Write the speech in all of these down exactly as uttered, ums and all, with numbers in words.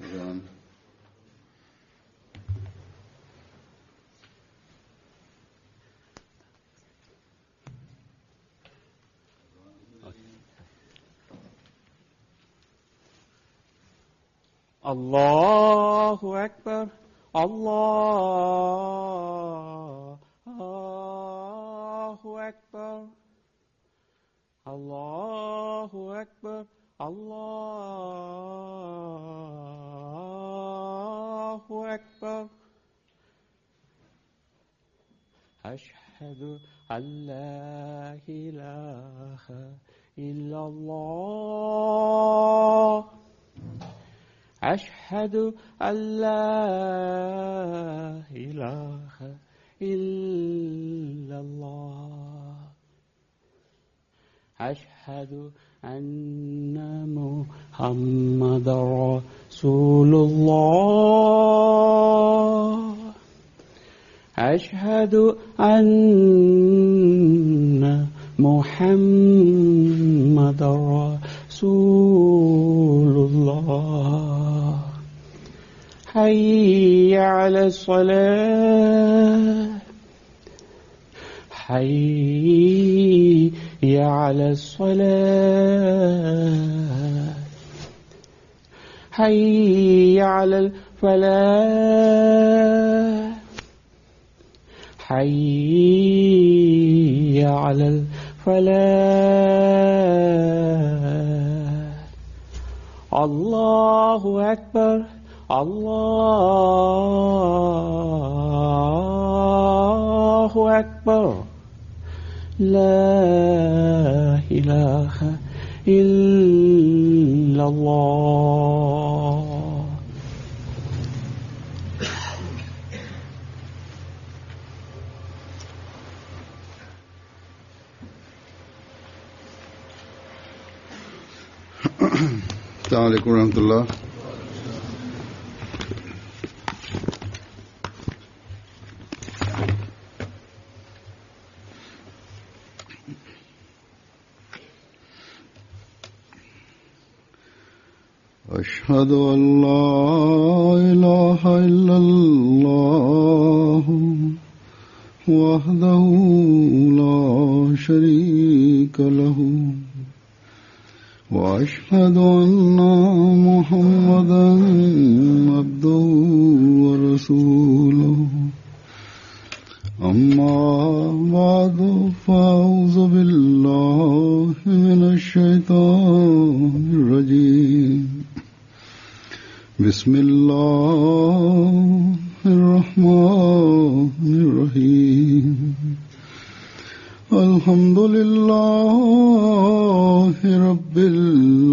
Azan. Allahu Akbar, Allahu Akbar, Allahu Akbar, Allahu Akbar. Ashhadu an la ilaha illallah. أشهد أن لا إله إلا الله. أشهد أن محمد رسول الله. أشهد أن محمد رسول الله. حي على الصلاة، حي على الصلاة، حي على الفلاح، حي على الفلاح. الله أكبر، الله أكبر، لا إله إلا الله. السلام عليكم ورحمة الله. أشهد أن لا إله إلا الله وحده لا شريك له، وأشهد أن محمدا عبده ورسوله. أما بعد، فأعوذ بالله من الشيطان الرجيم. بسم الله الرحمن الرحيم. الحمد لله رب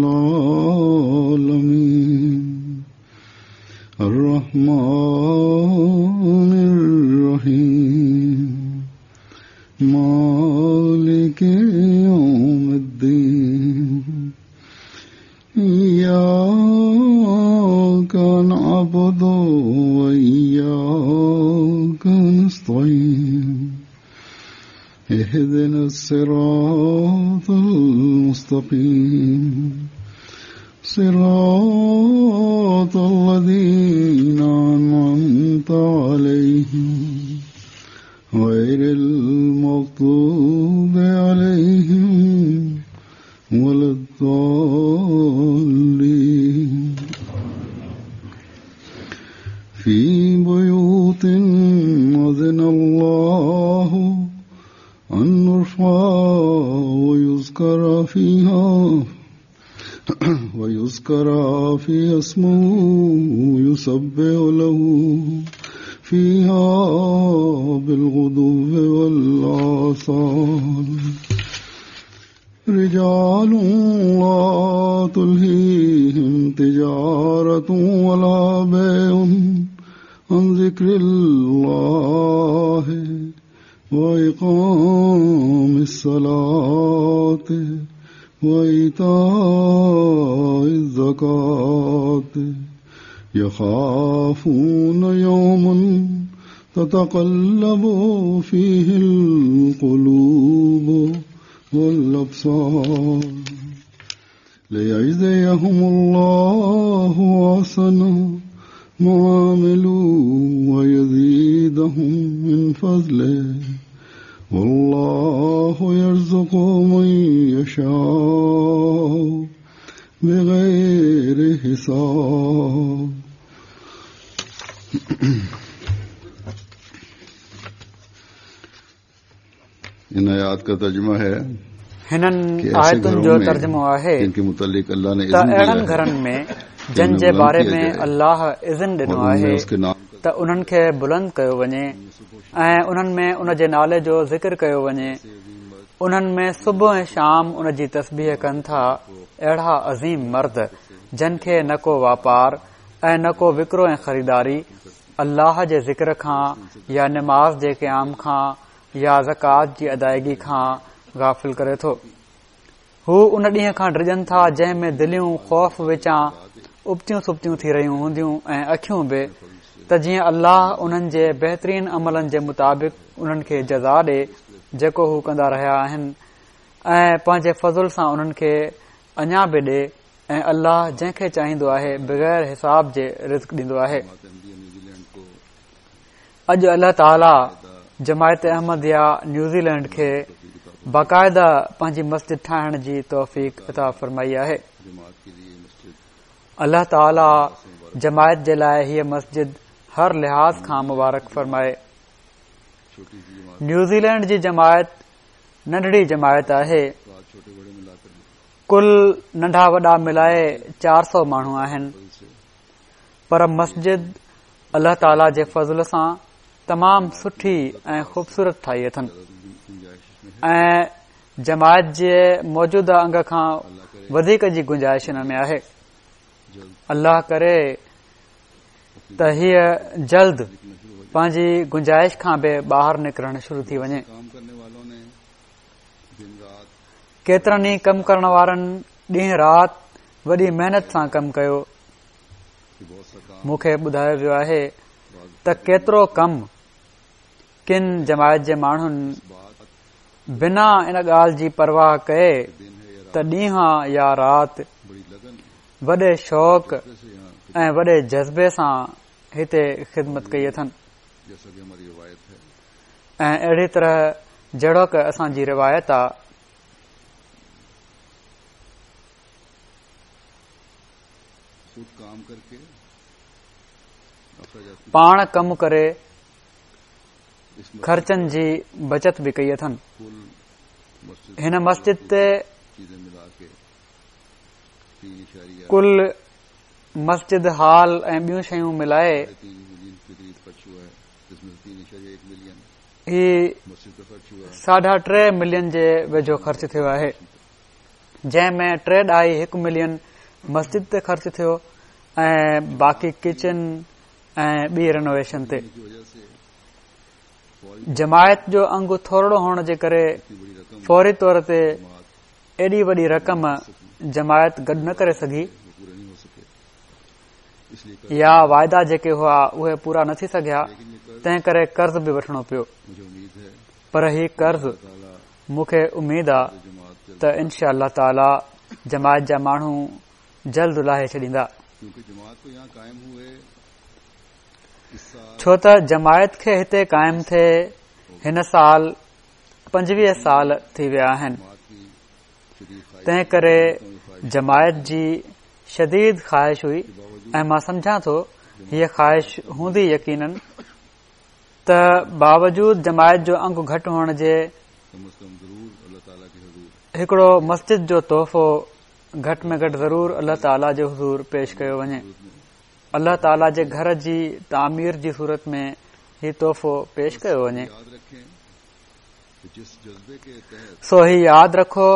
العالمين، الرحمن الرحيم، مالك يوم الدين، إياك نعبد وإياك نستعين، اهدنا الصراط المستقيم، صراط الذين أنعمت عليهم، غير المغضوب عليهم ولا الضالين. في بيوت أذن الله أن نرفع ويذكر فيها ويذكر فيها اسمه يسبح له فيها بالغدو والآصال. رجال لا تلهيهم تجارة ولا بيع عن ذكر الله وإقام الصلاة وإيتاء الزكاة، يخافون يوما تتقلب فيه القلوب والأبصار. ليجزيهم الله أحسن ما عملوا ويزيدهم من فضله والله يرزق من يشاء بغير حساب. इन आयात का तर्जुमा है हिननि आयतुनि जो तर्जुमो आहे त अहिड़नि घरनि में जन जे बारे में अल्लाह इज़न ॾिनो आहे त उन्हनि खे बुलंद कयो वञे ऐं उन्हनि में उन जे नाले जो ज़िक्र कयो वञे। उन्हनि में सुबुह ऐं शाम उन जी तस्बीह कनि था। अहिड़ा अज़ीम मर्द जन खे न को वापार ऐं न को विक्रो ऐं ख़रीदारी अल्लाह जे ज़िक्र खां या नमाज़ जे क़याम खां या ज़कात जी अदायगी खां गाफ़िल करे थो। हू उन ॾींहं खां डिॼनि था जंहिं में दिलियूं ख़ौफ़ विचां उबतियूं सुबतियूं थी रहियूं हूंदियूं ऐं अखियूं बि, त जीअं अल्लाह उन्हनि जे बहितरीन अमलनि जे मुताबिक़ उन्हनि खे जज़ा ॾे जेको हू कंदा रहिया आहिनि ऐं पंहिंजे फ़ज़ुल सां उन्हनि खे अञा बि ॾे ऐं अल्लाह जंहिंखे चाहींदो आहे बग़ैर हिसाब जे रिज़्क ॾींदो आहे। अॼु अल्लाह ताला जमायत अहमदिया न्यूज़ीलैंड खे बाक़ाइदा पंहिंजी मस्जिद ठाहिण जी तौफ़ीक अता फरमाई आहे। अल्लाह ताला जमायत जे लाइ हीअ मस्जिद हर लिहाज़ खां मुबारक फरमाए। न्यूज़ीलैंड जी जमायत नंढड़ी जमायत आहे। कुल नंढा वॾा मिलाए चार सौ माण्हू आहिनि, पर मस्जिद अल्लाह ताला जे फ़ज़ल सां तमाम सुठी ऐं ख़ूबसूरत ठाही अथनि ऐं जमायत जे मौजूदा अंग खां वधीक जी गुंजाइश हिन में आहे। अल्लाह करे त हीअ जल्द पंहिंजी गुंजाइश खां बि ॿाहिरि निकिरणु शुरू थी वञे। केतिरनि ई कम करण वारनि ॾींहुं राति वॾी महिनत सां कमु कयो। मूंखे ॿुधायो वियो आहे त केतिरो कमु किन जमायत जे माण्हुनि बिना इन ॻाल्हि जी परवाह कए त ॾींहुं या राति वॾे शौक़ ऐं वॾे जज़्बे सां हिते ख़िदमत कई अथनि ऐं अहिड़ी तरह जहिड़ोक असांजी रिवायत आहे। पाण कमु करे ख़र्चनि जी बचत बि कई अथनि। हिन मस्जिद ते कुल मस्जिद हाल ऐं ॿियूं शयूं मिलाए ही साढा टे मिलियन जे वेझो ख़र्च थियो आहे, जंहिं में टे ॾहाई हिकु मिलियन मस्जिद ते ख़र्च थियो ऐं बाक़ी किचन ऐं ॿी रेनोवेशन ते। जमायत जो अंग थोरो हुअण जे करे फौरी तौर ते एॾी वॾी रक़म जमायत गॾु न करे सघी या वाइदा जेके हुआ उहे पूरा न थी सघिया, तंहिं करे कर्ज़ बि वठिणो पियो। पर ही कर्ज़ मूंखे उमेद आहे त इनशा अल्लाह ताला जमायत जा माण्हू जल्द लाहे छॾींदा, छो त जमायत खे हिते क़ाइम थिए हिन साल पंजवीह साल थी विया आहिनि। तंहिं करे जमायत जी शदीद ख़्वाहिश हुई ऐं मां सम्झां थो हीअ ख़्वाहिश हूंदी यकीनन त बावजूद जमायत जो अंग घटि हुअण जे हिकिड़ो मस्जिद जो तोहफ़ो घटि में घटि ज़रूर अल्लाह ताला जे हुज़ूर पेश कयो वञे। अल्लाह ताला जे घर जी तामीर जी सूरत में ही तोहफ़ो पेश कयो वञे। सो ही यादि रखो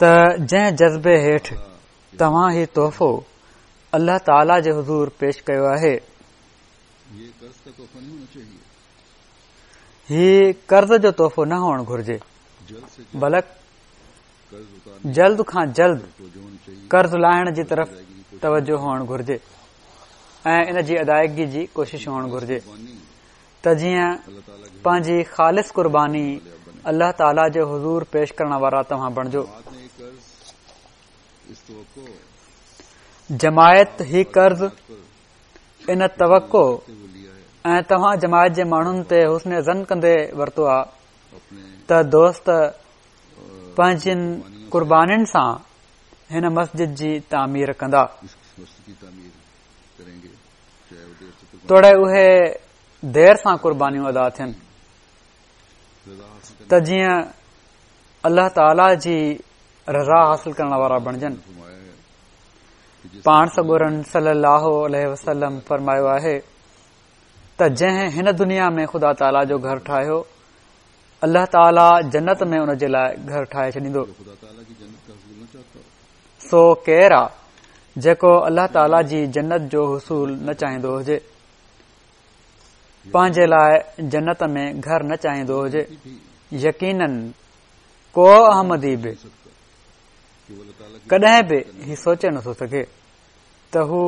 त जंहिं जज़्बे हेठि तव्हां ही तोहफ़ो अल्लाह ताला जे हुज़ूर पेश कयो आहे, ही कर्ज़ जो तोहफ़ो न हुअणु घुर्जे, बल्कि जल्द खां जल्द कर्ज़ लाहिण जी तरफ़ तवजो हुअणु घुर्जे ऐं इन जी अदायगी जी कोशिश हुअणु घुर्जे त जीअं पंहिंजी ख़ालिस क़ुर्बानी अल्लाह ताला जे हुज़ूर पेश करण वारा तव्हां बणिजो। جماعت هي قرض ان توقع ۽ توهان جماعت جي ماڻهن تي حسن ظن ڪندي ورتو آهي ته دوست پنهنجين قربانين سان هن مسجد جي تعمير ڪندا، توڙي اهي دير سان قربانيون ادا ٿين ته جيئن الله تعاليٰ جي رضا حاصل ڪرڻ وارا بڻجن. پاڻ سڳورن صلي الله عليه وسلم فرمايو آهي ته جنهن هن دنيا ۾ خدا تعاليٰ جو گهر ٺاهيو، الله تعاليٰ جنت ۾ ان جي لاء گهر ٺاهي ڇڏيندو. سو ڪير آ جيڪو الله تعاليٰ جي جنت جو حصول نه چاهيندو هجي، پنهنجي لاء جنت ۾ گهر نه چاهيندو هجي؟ يقينن ڪو احمدي به ڪڏهن به هي سوچي نٿو سگهي ته هو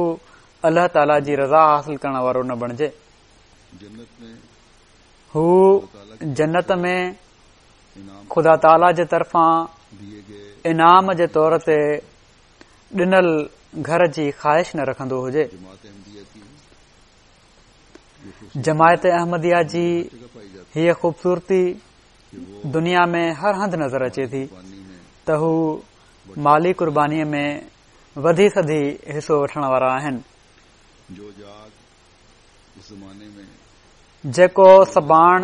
الله تعاليٰ جي رضا حاصل ڪرڻ وارو نه بڻجي. هو جنت ۾ خدا تعاليٰ جي طرفان انعام جي طور تي ڏنل گهر جي خواهش نه رکندو هجي. جماعت احمديه جي هيء خوبصورتي دنيا ۾ هر هنڌ نظر اچي ٿي ته هو مالي قربانيء ۾ وڌي سڌي حصو وٺڻ وارا آهن. جيڪو سباڻ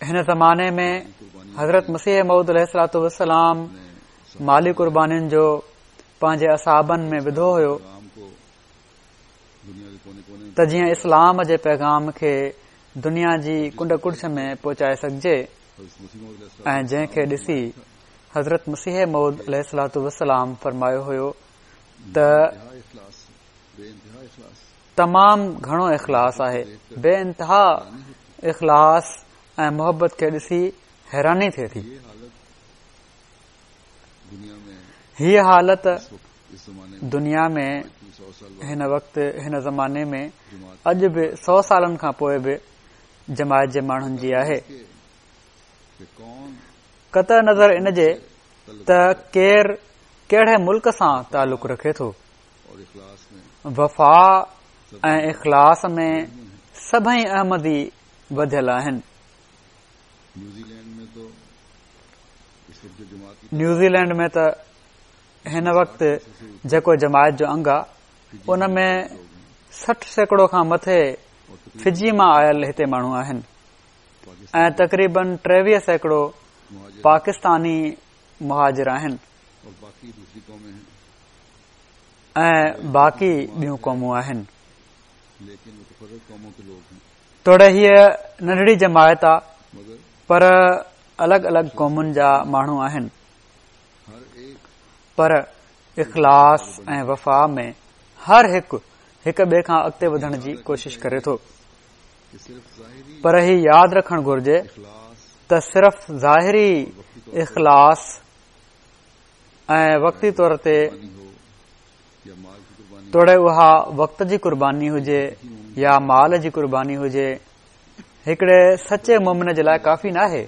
هن زماني ۾ حضرت مسيح موعود عليه الصلوة والسلام مالي قربانين جو پنهنجي اصحابن ۾ وڌو هيو ته جيئن اسلام جي پيغام کي دنيا جي ڪنڊ ڪڙڇ ۾ پهچائي سگهجي، ۽ جنهن کي ڏسي حضرت مسيح موعود عليه الصلوة والسلام فرمايو هيو ته تمام گهڻو اخلاص آهي، بي انتها اخلاص ۽ محبت کي ڏسي حيراني ٿئي ٿي. هيء حالت دنيا ۾ هن وقت هن زماني ۾ اڄ به سؤ سالن کان پوء به جماعت جي ماڻهن جي آهي. قطع نظر ان جي ته ڪير ڪهڙي ملڪ سان تعلق رکي ٿو، وفا ۽ اخلاص ۾ سڀئي احمدي وڌيل آهن. نيوزيلينڊ ۾ ته هن وقت جيڪو جماعت جو انگ آهي ان ۾ سٺ سيڪڙو کان مٿي فجي مان آيل هتي ماڻهو آهن ۽ تقريبن ٽيويهه سيڪڙو پاڪستاني مهاجر آهن ۽ باقي ٻيون قومون آهن. توڙي هيء ننڍڙي جماعت آ پر الڳ الڳ قومن جا ماڻهو آهن، پر اخلاص ۽ وفا ۾ هر هڪ هڪ ٻئي کان اڳتي وڌڻ جي ڪوشش ڪري ٿو. پر هي ياد رکڻ گهرجي ته صرف ظاهري اخلاص ۽ وقتي طور تي توڙي اها وقت جي قرباني هجي يا مال جي قرباني هجي، هڪڙي سچي مومن جي لاء ڪافي ناهي،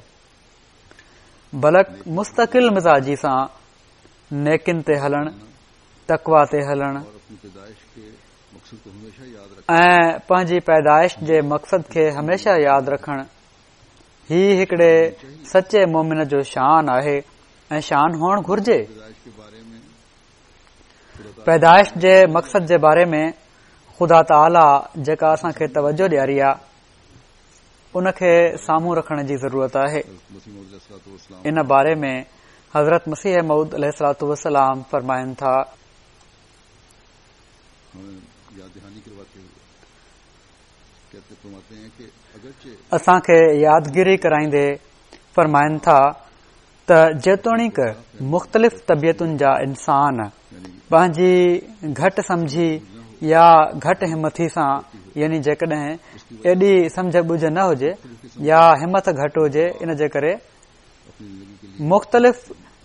بلڪ مستقل مزاجي سان نيڪين تي هلڻ، تقويٰ تي هلڻ ۽ پنهنجي پيدائش جي مقصد کي هميشه ياد رکڻ، هي هڪڙي سچي مومن جو شان آهي ۽ شان هئڻ گهرجي. پيدائش جي مقصد جي باري ۾ خدا تعاليٰ جيڪا اسان کي توجه ڏياري آ ان کي سامهون رکڻ جي ضرورت آهي. ان باري ۾ حضرت مسيح موعود عليه الصلوة والسلام فرمائن ٿا، اسان کي يادگيري ڪرائيندي فرمائن ٿا ته جيتوڻيڪ مختلف طبيعتن جا انسان پنهنجي گهٽ سمجهي يا گهٽ همٿي سان، يعني جيڪڏهن ايڏي سمجهه ٻجهه نه هجي يا همت گهٽ هجي، ان جي ڪري مختلف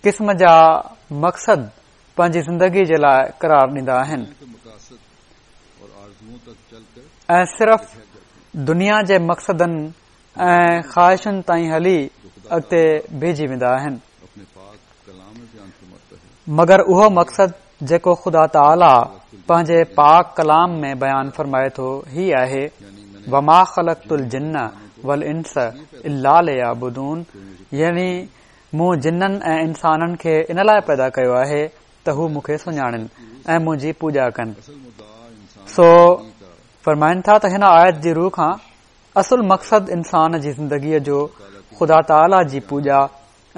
قسم جا مقصد پنهنجي زندگي جي لاء قرار ڏيندا آهن ۽ صرف دنيا جي مقصدن ۽ خواهشن تائين هلي اڳتي بيهجي ويندا آهن. مگر اهو مقصد جيڪو خدا تعاليٰ پنهنجي پاڪ ڪلام ۾ بيان فرمائي ٿو هي آهي، وما خلقت الجن والانس الا ليعبدون، يعني مون جنن ۽ انسانن کي ان لاء پيدا ڪيو آهي ته هو مون کي سڃاڻن ۽ منهنجي پوڄا ڪن. سو فرمائن ٿا ته هن آيت جي رو کان اصل مقصد انسان جي زندگيء جو خدا تعاليٰ جي پوڄا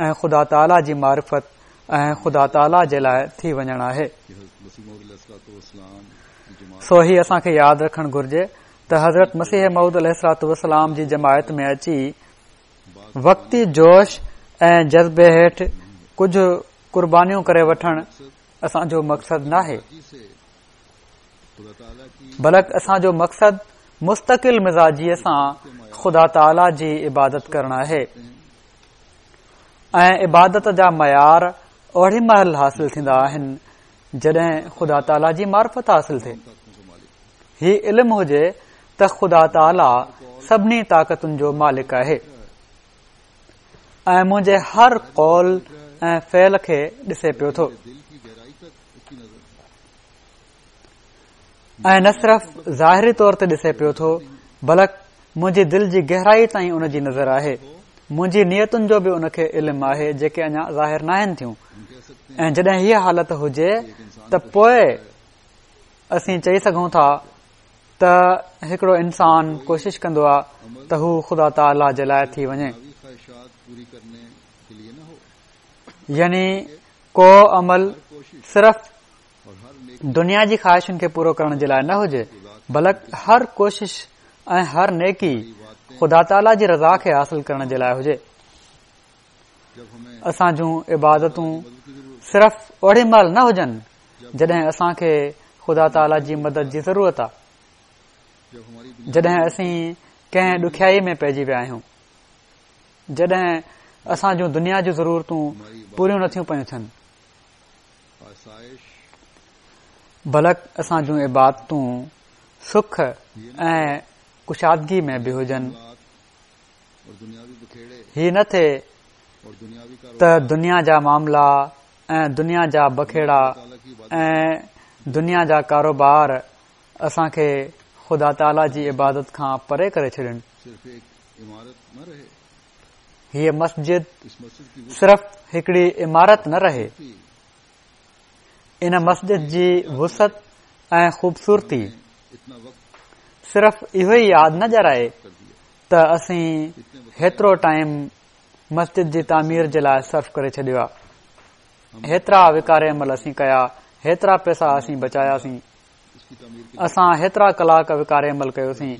۽ خدا تعاليٰ جي معرفت ۽ خدا تعاليٰ جي لاء ٿي وڃڻ آهي. سو هي اسان کي ياد رکڻ گهرجي ته حضرت مسيح موعود عليه الصلوة والسلام جي جماعت ۾ اچي وقتي جوش ۽ جذبي هيٺ ڪجهه قربانيون ڪري وٺڻ اسان جو مقصد ناهي، بلڪ اسان جو مقصد مستقل مزاجيء سان خدا تعاليٰ جي عبادت ڪرڻ آهي ۽ عبادت جا معيار اوڙي مهل حاصل ٿيندا آهن جڏهن خدا تعاليٰ جي معرفت حاصل ٿئي. هي علم هجي ته خدا تعاليٰ سڀني طاقتن جو مالڪ آهي ۽ منهنجي هر قول ۽ فعل کي ڏسي پيو ٿو ۽ نه صرف ظاهري طور تي ڏسي پيو ٿو بلڪ منهنجي دل جي گهرائي تائين ان جي نظر آهي. منهنجي نيتن جو به ان کي علم آهي جيڪي اڃا ظاهر ناهن ٿيون. ۽ جڏهن هيء حالت هجي ته پوء اسين چئي سگهون ٿا ته هڪڙو انسان ڪوشش ڪندو آهي ته هو خدا تعاليٰ جي لاء ٿي وڃي، يعني ڪو عمل صرف دنيا جي خواهشن کي پورو ڪرڻ جي لاء نه هجي، بلڪ هر ڪوشش ۽ هر نيڪي خدا تعاليٰ جي رضا کي حاصل ڪرڻ جي لاء هجي. اسان جون عبادتون صرف اوڙي مهل نه هجن جڏهن اسان کي خدا تعاليٰ جي مدد جي ضرورت آ، جڏهن اسين ڪنهن ڏکيائي ۾ پئجي ويا آهيون، جڏهن اسان جون دنيا جون ضرورتون پوريون نٿيون پيون ٿين، بلڪ اسان جون عبادتون سک ۽ ڪشادگي ۾ به هجن. هي نه ٿئي ته دنيا جا معاملا ۽ دنيا جا بکيڙا ۽ دنيا جا ڪاروبار اسان کي خدا تعاليٰ جي عبادت کان پري ڪري ڇڏين. هيء مسجد صرف هڪڙي عمارت نه رهي، ان مسجد جي وسعت ۽ خوبصورتي صرف اهو ئي ياد نه ڏيارائي ته اسين هيترو ٽائيم مسجد جي تعمير جي لاء صرف ڪري ڇڏيو آهي، هيترا وقار عمل اسين ڪيا، هيترا پئسا اسين بچاياسين، اسان هيترا ڪلاڪ وقار عمل ڪيوسين،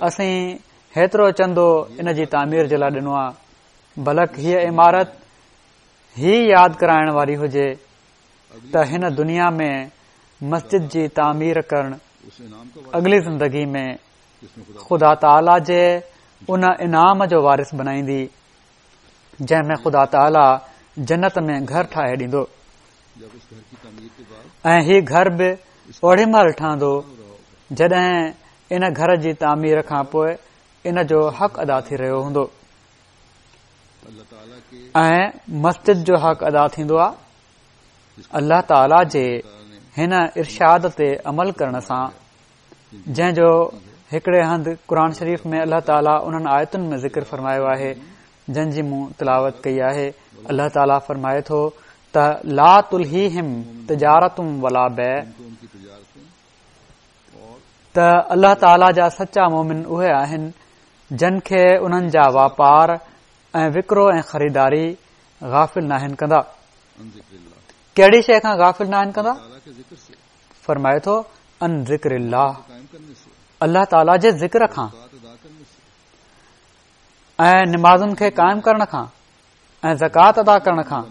اسين هيترو چندو ان جي تعمير جي لاء ڏنو آهي، بلڪ هيء عمارت هي ياد ڪرائڻ واري هجي ته هن دنيا ۾ مسجد جي تعمير ڪرڻ اڳلي زندگي ۾ خدا تعاليٰ جي ان انعام جو وارث بنائيندي جنهن ۾ خدا تعاليٰ جنت ۾ گهر ٺاهي ڏيندو ۽ هي گهر به اوڙي مهل ٺهندو جڏهن ان گهر جي تعمير کان پوء ان جو حق ادا ٿي رهيو هوندو ۽ مسجد جو حق ادا ٿيندو آهي الله تعاليٰ جي هن ارشاد تي عمل ڪرڻ سان، جنهن جو هڪڙي هنڌ قرآن شريف ۾ الله تعاليٰ انهن آيتن ۾ ذڪر فرمايو آهي جن جي مون تلاوت ڪئي آهي. الله تعاليٰ فرمائي ٿو ته لا تلهيهم تجارة ولا بيع، ته الله تعاليٰ جا سچا مومن اهي آهن جن کي انهن جا واپار ۽ وڪرو ۽ خريداري غافل ناهن ڪندا. ڪهڙي شيء کان غافل ناهن ڪندا؟ فرمائي ٿو عن ذڪر الله، الله تعاليٰ جي ذڪر کان ۽ نمازن کي قائم ڪرڻ کان ۽ زڪوات ادا ڪرڻ کان.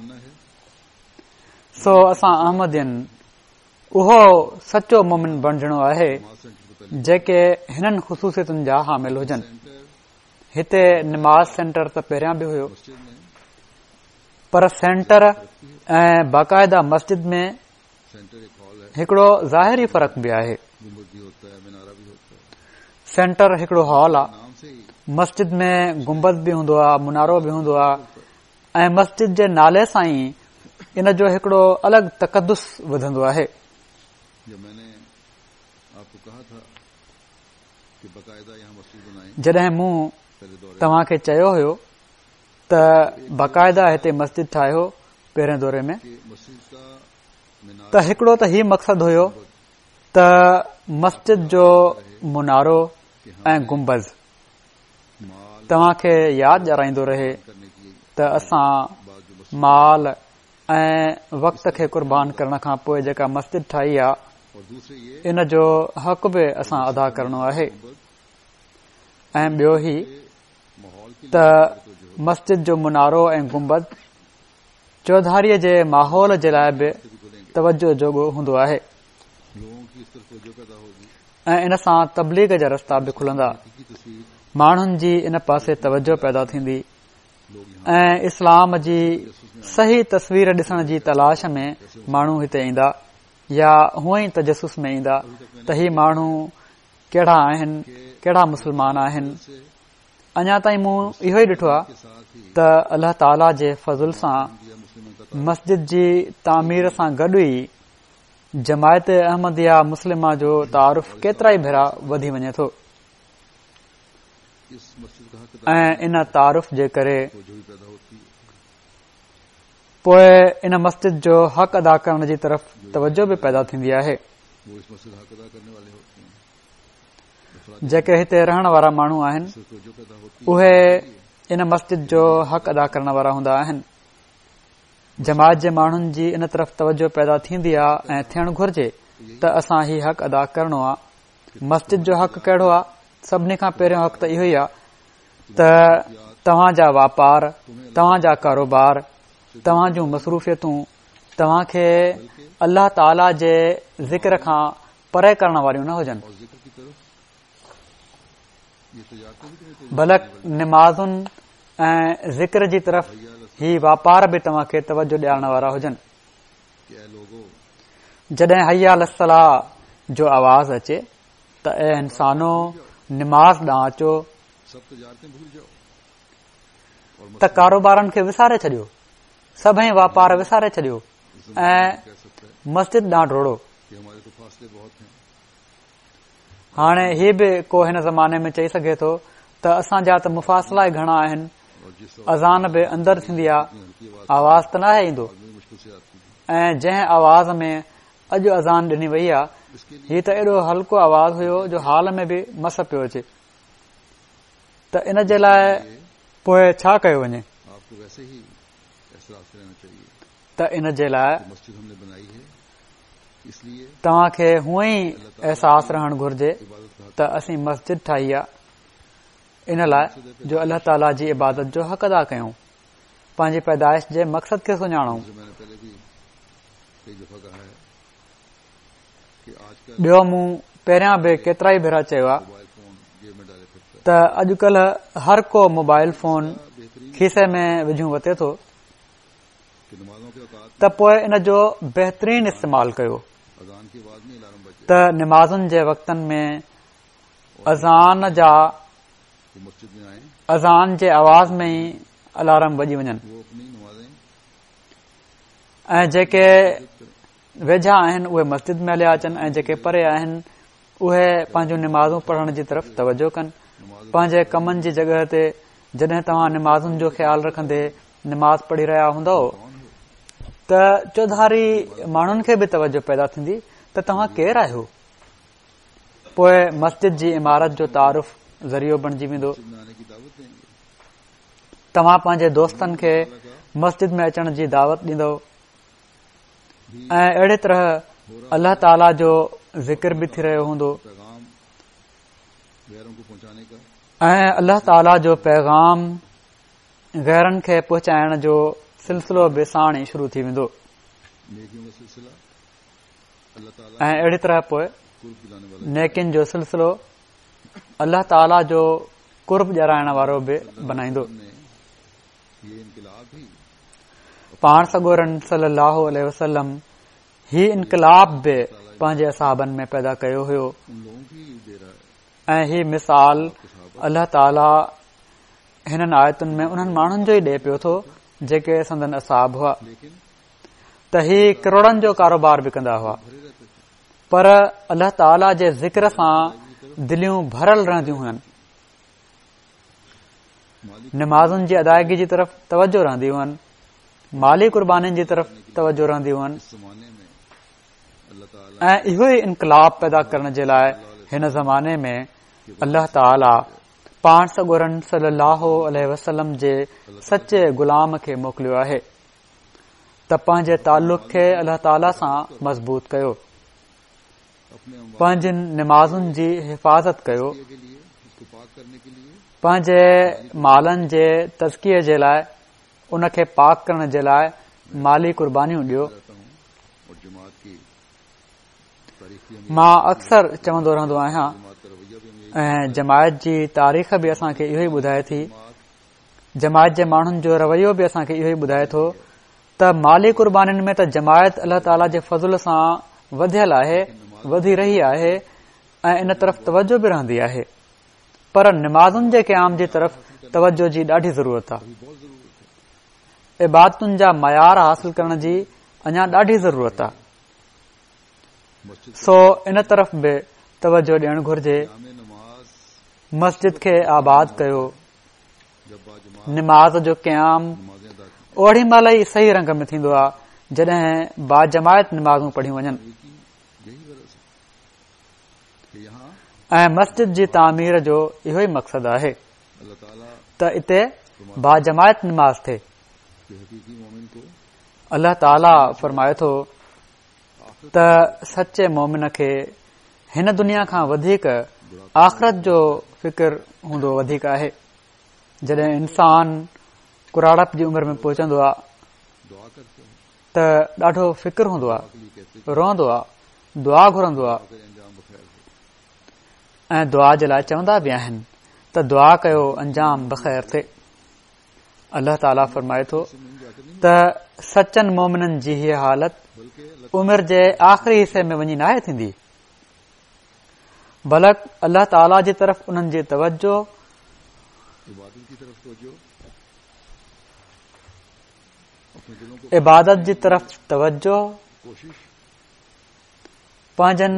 سو اسان احمدين اهو سچو مومن بڻجڻو آهي جيڪي هنن خصوصيتن جا حامل هجن. هتي نماز سينٽر ته پهريان به هيو، پر سينٽر ۽ باقاعده مسجد ۾ هڪڙو ظاهري فرق به آهي. سينٽر هڪڙو هال آ، مسجد ۾ گنبذ به هوندو آ، منارو به هوندو آ ۽ مسجد جي نالي سان ئي ان جو هڪڙو الڳ تقدس وڌندو آهي. جڏهن مون توهان کي چيو هيو ته باقاعده هتي مسجد ٺاهيو پهرين دوري ۾ ته هڪڙو ته هي مقصد هيو ته مسجد جو منارو ۽ گنبذ توهان کي ياد ڏيارائيندو رهي ته اسان مال ۽ وقت کي قربان ڪرڻ کان پوءِ جيڪا مسجد ٺاهي آهي ان جو حق به اسان ادا ڪرڻو آهي. ۽ ٻيو هي ته مسجد جو منارو ۽ گنبذ چوڌاريءَ جي ماحول جي لاءِ به توجه جوڳو هوندو آهي ۽ ان سان تبليغ جا رستا به کلندا. ماڻهن جي ان پاسي توجه پيدا ٿيندي ۽ اسلام جي صحيح تصوير ڏسڻ جي تلاش ۾ ماڻهو هتي ايندا يا هونئن ئي تجسس ۾ ايندا ته هي ماڻهو ڪهڙا آهن، ڪهڙا مسلمان آهن. اڃا تائين مون اهو ئي ڏٺو آهي ته الله تعاليٰ جي فضل سان مسجد جي تعمير سان گڏ ئي جماعت احمديه مسلمه جو تعارف ڪيترا ئي ڀيرا وڌي وڃي ٿو ۽ ان تعارف جي ڪري پوءِ ان مسجد جو حق ادا ڪرڻ جي طرف توجه به پيدا ٿيندي آهي. جيڪي هتي رهڻ وارا ماڻهو آهن اهي ان مسجد جو حق ادا ڪرڻ وارا هوندا آهن. جماعت جي ماڻهن جي ان طرف توجه پيدا ٿيندي آهي ۽ ٿيڻ گهرجي ته اسان هي حق ادا ڪرڻو آهي. مسجد جو حق ڪهڙو آهي؟ سڀني کان پهريون حق ته اهو ئي آهي ته توهان جا واپار، توهان جا ڪاروبار، توهان جون مصروفيتون توهان کي الله تعاليٰ جي ذڪر کان پري ڪرڻ واريون نه هجن، بلڪ نمازن ۽ ذڪر جي طرف هي واپار به توهان کي توجه ڏيارڻ وارا هجن. جڏهن حي علي الصلاة جو آواز اچي ته اي انسانو نماز ڏانهن اچو ته ڪاروبارن کي وساري ڇڏيو، سڀئي واپار وساري ڇڏيو ۽ مسجد ڏانهن ڊوڙو. هاڻي هي به ڪو هن زماني ۾ چئي سگهي ٿو ته اسان جا ته مفاصلا ئي گهڻا آهن، اذان به اندر ٿيندي آهي، آواز ته ناهي ايندو، ۽ جنهن آواز ۾ اڄ اذان ڏني وئي آهي هي ته ايڏو هلڪو آواز هيو جو حال ۾ به مس پيو اچي، ته ان جي لاءِ پوءِ ڇا ڪيو وڃي؟ ته ان جي لاءِ توهان کي هونئن ئي احساس رهڻ گهرجي ته اسين مسجد ٺاهي آهي ان لاءِ جو الله تعاليٰ جي عبادت جو حق ادا ڪيون، پنهنجي پيدائش جي مقصد کي سڃاڻون. ٻيو مون پهريان به ڪيترا ئي ڀيرا چيو آهي ته اڄڪلهه هر ڪو موبائل فون کيسي ۾ وجهون وتي ٿو، ته پوءِ ان جو بهترين استعمال ڪيو ته نمازن جي وقتن ۾ اذان جا اذان جي آواز ۾ ئي الارم وڄي وڃن ۽ جيڪي ويجها آهن اهي مسجد ۾ هليا اچن ۽ جيڪي پري آهن اهي پنهنجون نمازون پڙهڻ جي طرف توجه ڪن. پنهنجي ڪمن جي جڳهه تي جڏهن توهان نمازن جو خيال رکندي نماز پڙهي رهيا هوندؤ ته چوڌاري ماڻهن کي به توجه پيدا ٿيندي ته توهان ڪير آهيو. پوءِ مسجد جي عمارت جو تعارف ذريعو بڻجي ويندو. توهان پنهنجي دوستن کي مسجد ۾ اچڻ جي دعوت ڏيندؤ ۽ اهڙي طرح الله تعاليٰ جو ذڪر به ٿي رهيو هوندو ۽ الله تعاليٰ جو پيغام غيرن کي پهچائڻ جو سلسلو به ساڻ ئي شروع ٿي ويندو. ۽ اهڙي طرح پوءِ نيڪين جو سلسلو الله تعاليٰ جو قرب ڏيارائڻ وارو به بنائيندو. پاڻ سڳورن صلي الله عليه وسلم هي انقلاب به پنهنجي اصحابن ۾ پيدا ڪيو هيو ۽ هي مثال الله تعاليٰ هنن آيتن ۾ انهن ماڻهن جو ئي ڏئي پيو ٿو جيڪي سندن اصحاب هئا. ته هي ڪروڙن جو ڪاروبار به ڪندا هئا، پر الله تعاليٰ جي ذڪر سان دليون ڀريل رهنديون هئن. نمازن جي ادائگي جي طرف توجه رهندي هئن، مالي قربانين جي طرف توجه رهندي هئن ۽ اهو ئي انقلاب پيدا ڪرڻ جي لاء هن زماني ۾ الله تعاليٰ پاڻ سڳورن صلي الله عليه وسلم جي سچي غلام کي موڪليو آهي ته پنهنجي تعلق کي الله تعاليٰ سان مضبوط ڪيو، پنهنجين نمازن جي حفاظت ڪيو، پنهنجي مالن جي تزڪيي جي لاء ان کي پاڪ ڪرڻ جي لاء مالي قربانيون ڏيو. مان اڪثر چوندو رهندو آهيان ۽ جماعت جي تاريخ به اسان کي اهو ئي ٻڌائي ٿي، جماعت جي ماڻهن جو رويو به اسان کي اهو ئي ٻڌائي ٿو ته مالي قربانين ۾ ته جماعت الله تعاليٰ جي فضل سان وڌيل آهي، وڌي رهي آهي ۽ ان طرف توجه به رهندي آهي، پر نمازن جي قيام جي طرف توجه جي ڏاڍي ضرورت آهي. عبادتن جا معيار حاصل ڪرڻ جي اڃا ڏاڍي ضرورت آهي، سو ان طرف به توجه ڏيڻ گهرجي. مسجد کي آباد ڪيو، نماز جو قيام اوڙي مهل ئي صحيح رنگ ۾ ٿيندو آهي جڏهن باجماعت نمازون پڙهيون وڃن ۽ مسجد جي تعمير جو اهو ئي مقصد آهي ته اتي باجماعت نماز ٿئي. الله تعاليٰ فرمائي ٿو ته سچي مومن کي هن دنيا کان وڌيڪ آخرت جو فڪر هوندو وڌيڪ آهي. جڏهن انسان ڪراڙپ جي عمر ۾ پهچندو آهي ته ڏاڍو فڪر هوندو آهي، روئندو آهي، دعا گهرندو آهي ۽ دعا جي لاء چوندا به آهن ته دعا ڪيو انجام بخير ٿئي. الله تعاليٰ فرمائي ٿو ته سچن مومنن جي هيء حالت عمر جي آخري حصي ۾ وڃي ناهي ٿيندي، بلڪ الله تعاليٰ جي طرف انهن جي توجه عبادت جي طرف توجه، پنهنجن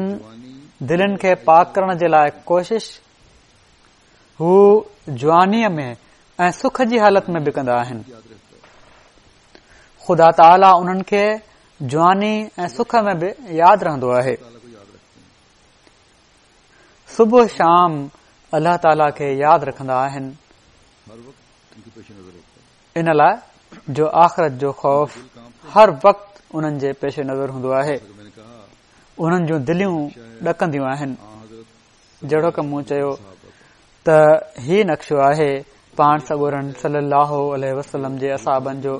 دلين کي پاڪ ڪرڻ جي لاء ڪوشش هو جوانيء ۾ ۽ سک جي حالت ۾ به ڪندا آهن. خدا تعاليٰ انهن کي جواني ۽ سک ۾ به ياد رهندو آهي. صبح شام الله تعاليٰ کي ياد رکندا آهن، ان لاء جو آخرت جو خوف هر وقت انهن جي پيش نظر هوندو آهي. انهن جون دليون ڏڪنديون آهن. جهڙوڪ مون چيو ته هي نقشو آهي پاڻ سڳورن صلي الله عليه وسلم جي اصحابن جو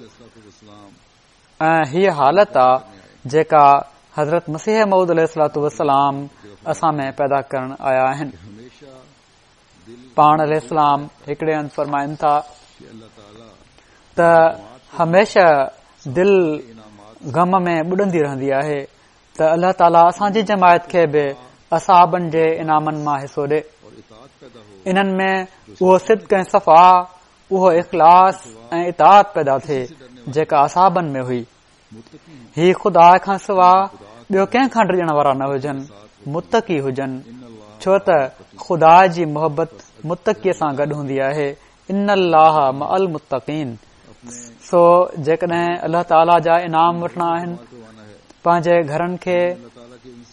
۽ هيء حالت آ جيڪا حضرت مسيح موعود عليه الصلوة والسلام اسان ۾ پيدا ڪرڻ آيا آهن. پاڻ عليه السلام هڪڙي هنڌ فرمائن ٿا ته هميشه دل غم ۾ ٻڏندي رهندي آهي ته الله تعاليٰ اسان جي جماعت کي به اصحابن جي انعامن مان حصو ڏي. انهن ۾ اهو صدق ۽ صفا، اهو اخلاص ۽ اطاعت پيدا ٿئي جيڪا اصحابن ۾ هئي. هي خدا کان سوا ٻيو ڪنهن کان ڊڄڻ وارا نه هجن، متقي هجن، ڇو ته خدا جي محبت متقي سان گڏ هوندي آهي. ان الله مع المتقين. سو جيڪڏهن الله تعاليٰ جا انعام وٺڻا آهن، پنهنجي گهرن کي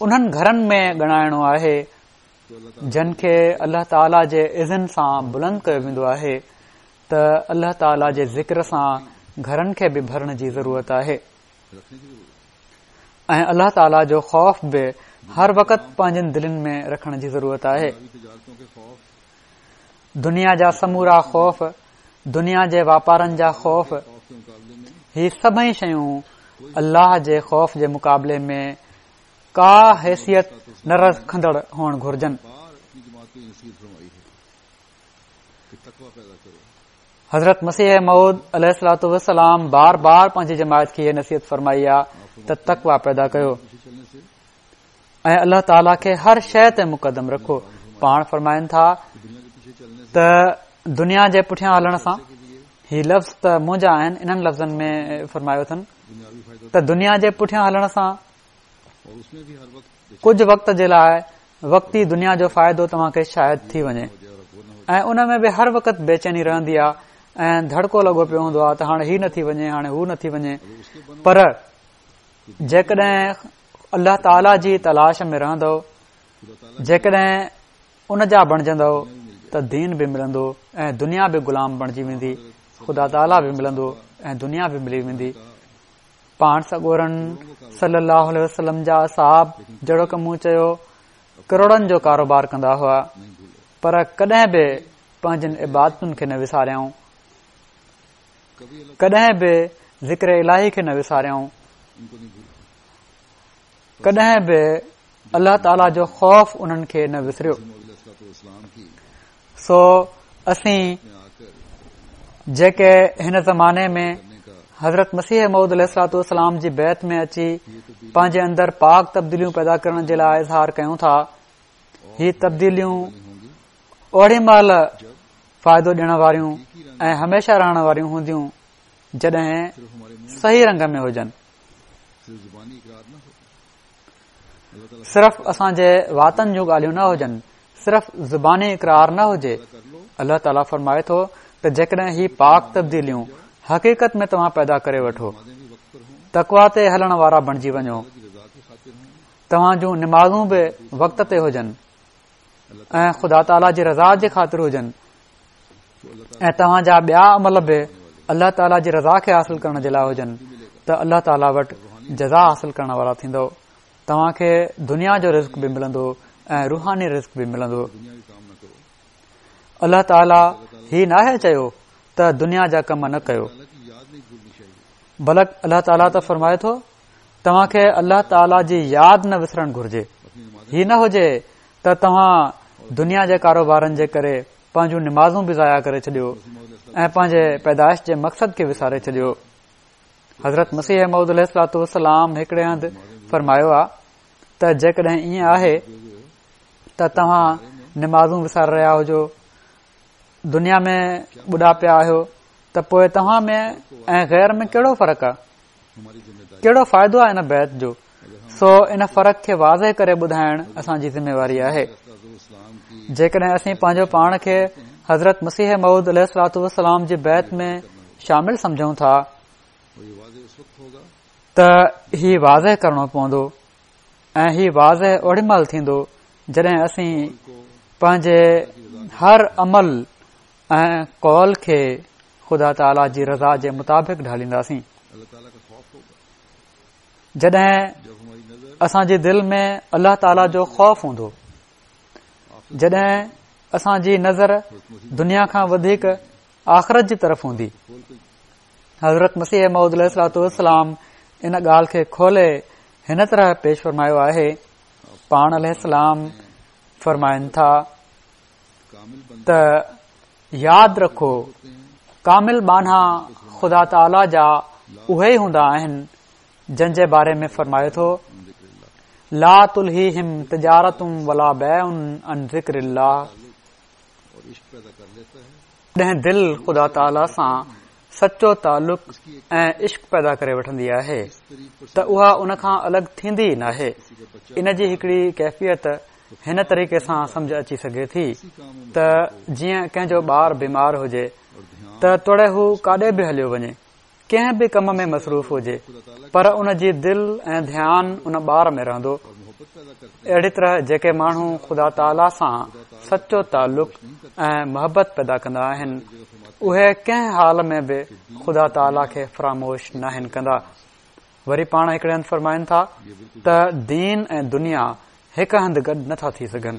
انهن گهرن ۾ ڳڻائڻو آهي جن کي الله تعاليٰ جي اذن سان بلند ڪيو ويندو آهي ته الله تعاليٰ جي ذڪر سان گهرن کي به ڀرڻ جي ضرورت آهي ۽ الله تعاليٰ جو خوف به هر وقت پنهنجن دلين ۾ رکڻ جي ضرورت آهي. دنيا جا سمورا خوف، دنيا جي واپارن جا خوف، هي سڀئي شيون الله جي خوف جي مقابلي ۾ ڪا حيثيت نه رکندڙ هئڻ گهرجن. حضرت مسيح موعود عليه الصلوة والسلام بار بار پنهنجي جماعت کي هيء نصيحت فرمائي آ ته تقويٰ پيدا ڪيو ۽ الله تعاليٰ کي هر شيء تي مقدم رکو. پاڻ فرمائن ٿا ته دنيا جي پٺيان هلڻ سان، هي لفظ ته منهنجا آهن، انهن لفظن ۾ فرمايو اٿن ته دنيا جي پٺيان هلڻ سان ڪجهه وقت جي لاءِ وقتي دنيا جو فائدو توهان کي شايد ٿي وڃي ۽ ان ۾ به هر وقت بيچيني رهندي آهي ۽ ڌڙڪو لڳو پيو هوندو آهي ته هاڻي هي نه ٿي وڃي، هاڻي هو نه ٿي وڃي. پر جيڪڏهن الله تعاليٰ جي تلاش ۾ رهندو، جيڪڏهن ان جا بڻجندو ته دين به ملندو ۽ دنيا به غلام بڻجي ويندي، خدا تعاليٰ به ملندو ۽ دنيا به ملي ويندي. پاڻ سڳورن صلي الله عليه وسلم جا اصحاب جهڙوڪ مون چيو ڪروڙن جو ڪاروبار ڪندا هئا، پر ڪڏهن به پنهنجن عبادتن کي نه وساريائون، ڪڏهن به ذڪر الاهي کي نه وساريائون، ڪڏهن به الله تعاليٰ جو خوف انهن کي نه وسريو. سو اسين جيڪي هن زماني ۾ حضرت مسيح موعود عليه الصلوة والسلام جي بيعت ۾ اچي پنهنجي اندر پاڪ تبديليون پيدا ڪرڻ جي لاءِ اظهار ڪيون ٿا، هي تبديليون اوڙي مهل فائدو ڏيڻ واريون ۽ هميشه رهڻ واريون هونديون جڏهن صحيح رنگ ۾ هجن. صرف اسان جي واتن جون ڳالهيون نه هجن، صرف زباني اقرار نه هجي. الله تعاليٰ فرمائي ٿو ته جيڪڏهن هي پاڪ تبديليون حقيقت ۾ توهان پيدا ڪري وٺو، تقويٰ تي هلڻ وارا بڻجي وڃو، توهان جون نمازون به وقت تي هجن ۽ خدا تعاليٰ جي رضا جي خاطر هجن ۽ توهان جا ٻيا عمل به الله تعاليٰ جي رضا کي حاصل ڪرڻ جي لاءِ هجن ته الله تعاليٰ وٽ جزا حاصل ڪرڻ وارا ٿيندو. توهان کي دنيا جو رزق به ملندو ۽ روحاني رزق به ملندو. الله تعاليٰ هي ناهي چيو ته دنيا جا ڪم نه ڪيو، بلڪ الله تعاليٰ ته فرمائي ٿو توهان کي الله تعاليٰ جي ياد نه وسرڻ گهرجي. هي نه هجي ته توهان دنيا جي ڪاروبارن جي ڪري پنهنجون نمازون به ضايع ڪري ڇڏيو ۽ پنهنجي پيدائش جي مقصد کي وساري ڇڏيو. حضرت مسيح موعود عليه الصلوة والسلام هڪڙي هنڌ فرمايو آ ته جيڪڏهن ائين آهي ته توهان نمازون وساري رهيا هجو، دنيا ۾ ٻڏا پيا آهيو، ته پوءِ توهان ۾ ۽ غير ۾ ڪهڙو فرق آهي؟ ڪهڙو فائدو آهي ان بيعت جو؟ سو ان فرق کي واضح ڪري ٻڌائڻ اسان جي ذميواري آهي. جيڪڏهن اسين پنهنجو پاڻ کي حضرت مسيح موعود عليه الصلوة والسلام جي بيعت ۾ شامل سمجهون ٿا ته هي واضح ڪرڻو پوندو ۽ هي واضح اوڏي مهل ٿيندو جڏهن اسين پنهنجي هر عمل ۽ قول کي خدا تعاليٰ جي رضا جي مطابق ڍالينداسين. جڏهن اسان جي دل ۾ الله تعاليٰ جو خوف هوندو، جڏهن اسان جي نظر دنيا کان وڌيڪ آخرت جي طرف هوندي. حضرت مسيح موعود عليه الصلوة والسلام ان ڳالهه کي کولي هن طرح پيش فرمايو آهي. پاڻ عليه السلام فرمائن ٿا ته ياد رکو، ڪامل ٻانها خدا تعاليٰ جا اهي ئي هوندا آهن جن جي باري ۾ فرمائي ٿو لا تلهيهم تجارت ولا بيع عن ذڪر الله. جڏهن دل خدا تعاليٰ سان سچو تعلق ۽ عشق پيدا ڪري وٺندي آهي ته اها ان کان الڳ ٿيندي ئي ناهي. ان جي هڪڙي ڪيفيت هن طريقي سان سمجهه اچي سگهي ٿي ته جيئن ڪنهن جو ٻار بيمار هجي ته توڙي هو ڪاڏي به هليو وڃي، ڪنهن به ڪم ۾ مصروف هجي، پر ان جي دل ۽ ڌيان ان ٻار ۾ رهندو. اهڙي طرح جيڪي ماڻهو خدا تعاليٰ سان سچو تعلق ۽ محبت پيدا ڪندا آهن اهي ڪنهن حال ۾ به خدا تعاليٰ کي فراموش ناهن ڪندا. وري پاڻ هڪڙي هنڌ فرمائن ٿا ته دين ۽ دنيا هڪ هنڌ گڏ نٿا ٿي سگهن.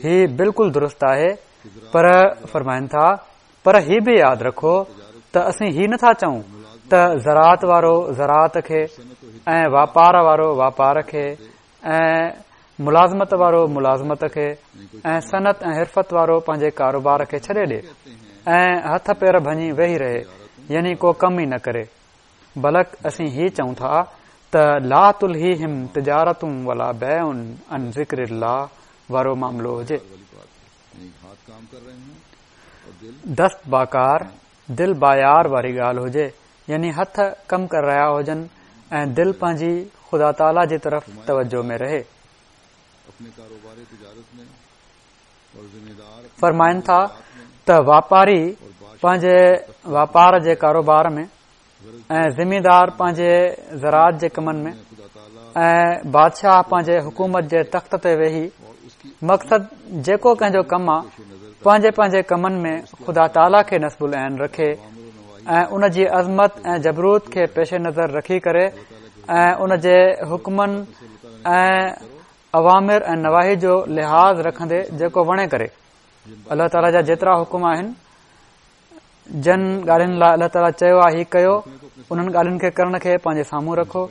هي بلڪل درست آهي، پر فرمائن ٿا پر هي به ياد رکو ته اسين هي نٿا چئون ته زراعت وارو زراعت کي ۽ واپار وارو واپار کي ۽ ملازمت وارو ملازمت کي ۽ صنعت ۽ حرفت وارو پنهنجي ڪاروبار کي ڇڏي ڏي ۽ هٿ پير ڀڃي ويهي رهي، يعني ڪو ڪم ئي نه ڪري. بلڪ اسين هي چئون ٿا ته لا تلهيهم تجارت ولا بيع عن ذڪر الله وارو معاملو هجي. دست باڪار دل بايار واري ڳالهه هجي يعني هٿ ڪم ڪري رهيا هجن ۽ دل پنهنجي خدا تعاليٰ جي طرف توجه ۾ رهي. فرمائن ٿا ته واپاري پنهنجي واپار جي ڪاروبار ۾ ۽ زميندار پنهنجي زراعت جي ڪمن ۾ ۽ بادشاهه پنهنجي حڪومت جي تخت تي ويهي، مقصد جيڪو ڪنهن جو ڪم آ، پنهنجي پنهنجي ڪمن ۾ خدا تعاليٰ کي نصب العين رکي ۽ ان جي عظمت ۽ جبروت کي پيش نظر رکي ڪري ۽ ان جي حڪمن ۽ اوامر ۽ نواهي جو لحاظ رکندي جيڪو وڻي ڪري. الله تعاليٰ جا جيترا حڪم آهن، جن ڳالهين لاء الله تعاليٰ چيو آهي هي ڪيو، انهن ڳالهين کي ڪرڻ کي پنهنجي سامهون رکو.